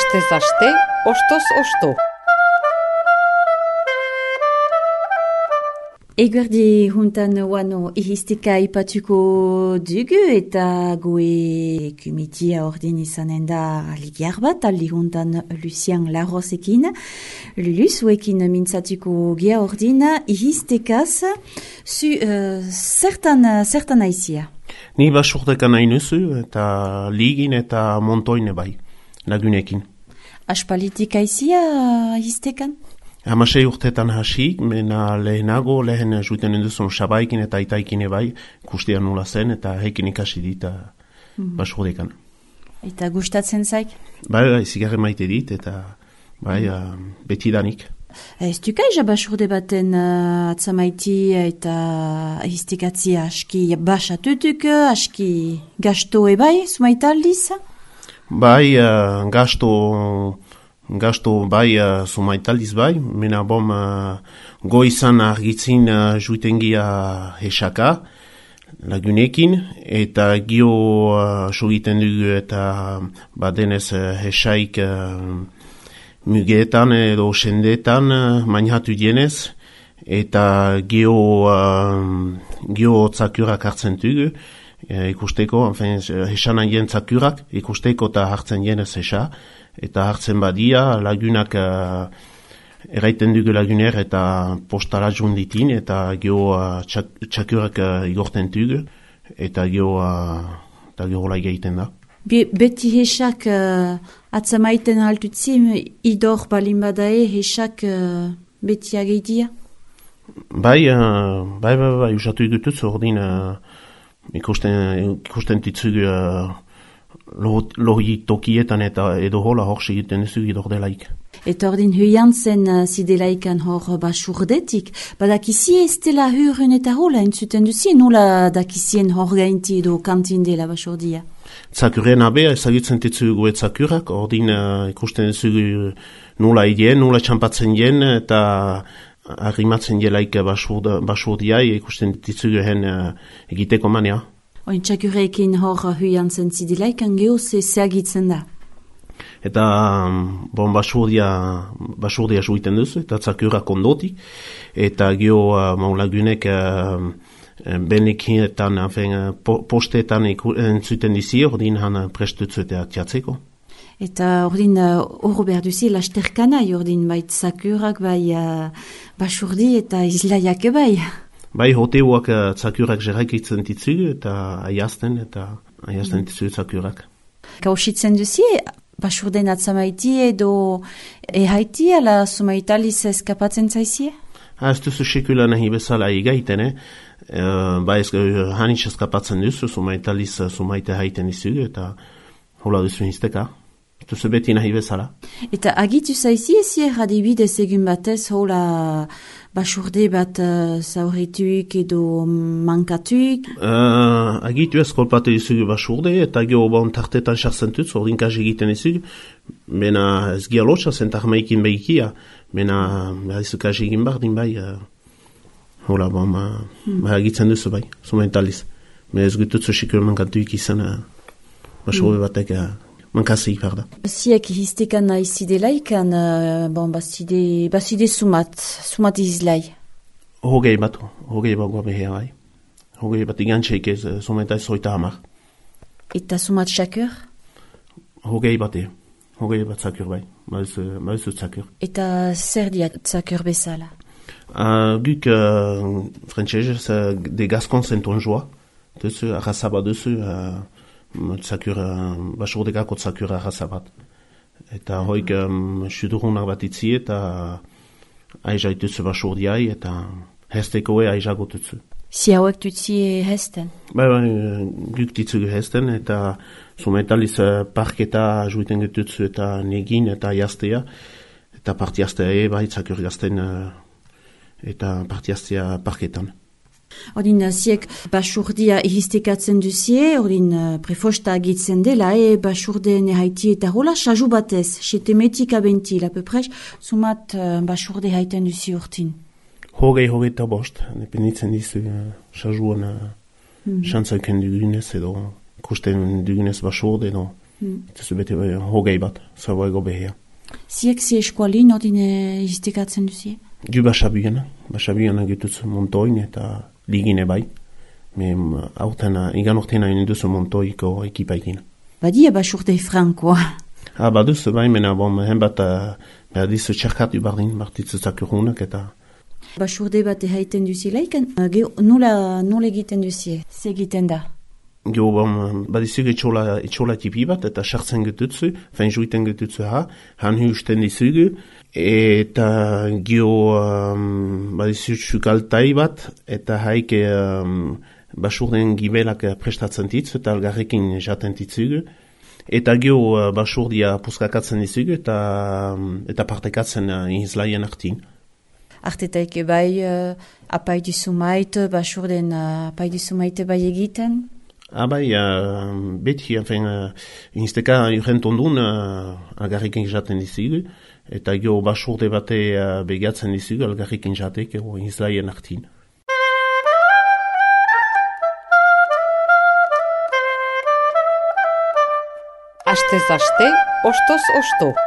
Astez aste, ostoz osto. Eguerdi juntan wano ihistika ipatuko dugu eta goe kumitia ordin izanen da ligiar bat, aldi juntan Lucien Larrosekin. Lulu zuekin mintzatuko gia ordin ihistekaz zertan aizia. Ni basurdekan nahi nuzu eta ligin eta montoine bai, lagunekin. Aspalitik aizia ihistekan? Hamasei urtetan hasik, mena lehen juiten enduzun sabaikin eta itaikin bai, kustia nula zen eta heikin ikasi dit basurdekan. Eta gustatzen zaik? Bai, zigarre maite dit eta betidanik. Ez dukai basurde baten atzamaiti eta histikatzia aski basatutuk, aski gasto ebai, sumaita aldiz? Bai, gasto bai sumaitaldiz bai, mena bom goizan argitzin juitengia hesaka lagunekin, eta gio sugiten dugu eta badenez hesaik mugeetan edo sendeetan mainhatu dienez, eta gio tzakurak hartzen dugu, ikusteko, hesan aien tzakurak, ikusteko eta hartzen dienez hesa, eta hartzen badia lagunak eraiten dugu laguner eta postala junditin eta gio txakurak igorten dugu eta gio laik egiten da. Beti hesak atzamaiten haltutzim idor balin badae hesak beti ageitia? Bai, usatu dutuz ordin ikusten titzugu lohi tokietan eta edo hola hor segiten duzu idor delaik. Eta ordin huian zen zidelaikan hor basurdetik, badakizie ez dela hurren eta hola entzuten duzi, nola dakizien hor gainti edo kantin dela basurdia? Zakurren abea ezagutzen titzugu zakurak, ordin ikusten duzu nola idien, nola txampatzen dien eta arrimatzen delaik basurdiai ikusten titzugu egiteko mania. Oin txakurekin hor huian zen zidilaikan geho zeagitzen da? Eta basurdia juiten duzu, eta txakurak ondotik, eta geho maulagunek benekinetan, postetan entzuten dizi, ordin han prestutzu eta txatzeko. Eta ordin horro behar duzi lasterkana, ordin bai txakurak, bai basurdi eta izlaiak bai. Bai, hoteuak txakurak jeraikitzen ditzugu eta aiazten ditzugu txakurak. Kausitzen duzi, basurden atzamaiti edo ehaiti ala sumaitaliz eskapatzen zaizie? Ez duzu sekula nahi bezala egaiten, bai hanitz eskapatzen duzu, sumaitaliz sumaite haiten dizugu eta hola duzu hizteka. Ez duzu beti nahi bezala. Eta agitu zaizie zier adibidez egun batez hola basurde bat zaurituik edo mankatuik? Agitu ez kolpatu dizugu basurde eta geho bon tartetan sartzen dut, ordin kasi egiten dizugu. Mena ez gia lotxa zentak maikin behikia, mena beharizu kasi egin bardin bai. Hola, egitzen duzu bai, sumentaliz. Me ez gututzu sikul mankatuik izan basurde batek mankazik parda. Ziek histekan naizidelaik,an baside sumat izlai. Hogei bat goa behea bai. Hogei bat igantxeik ez sumeta zoita hamar. Eta sumat txakur? Hogei bat txakur bai, mauzu txakur. Eta zer diat txakur bezala? Guk frantzesez de Gascon Saint-Onjoa, duzu arrasaba duzu tzakur, basurdekako tzakur arrasabat. Eta hoik sudurunak bat itzi eta aizaituzu basurdiai eta hestekoe aizagotuzu. Si hauek tutzi hesten? Bai, guk ditzugu hesten eta sumetaliz parketa juiten getutzu eta negin eta jaztea. Eta partiaztea bai tzakur gazten eta partiaztea parketan. Ordin, ziek basurdia ihistekatzen duzie, ordin prefosta agitzen dela, basurde haiti eta hola, saju batez, setemetik abentil, apepres, sumat basurde haiten duzi urtin. Hogei eta bost, dependitzen dizu, sajuan xantzaiken dugunez edo, kusten dugunez basurde edo, Eta zu bete hogei bat, zagoego behea. Ziek zi eskualin ordine histikatzen duzie? Gu basabiena gituz montoin eta ligine bai. Igan ortena induzu montoiko ekipaikin. Badia basurde frankoa. Baduz, bai, mena henbat dizu txarkatu bardin, martitzuzak urgunak eta... Basurde bat haiten duzileik, nola egiten duzie? Ze egiten da? Gio, badizuk etxola tipi bat, eta sartzen getutzu, fein juiten getutzu han husten dizugu, eta gio badizuk sukaltai bat, eta haike basurden gibelak prestatzen ditzu, eta algarrekin jaten ditzugu. Eta gio basurdia puskakatzen dizugu, eta partekatzen izlaien artin. Artetaik bai apaidu sumait, basurden apaidu sumait bai egiten? Bai, beti, insteka urent ondun algarriken jaten dizugu, eta gio basurde bate begatzen dizugu algarriken jatek izlaien artin. Astez aste, ostoz osto.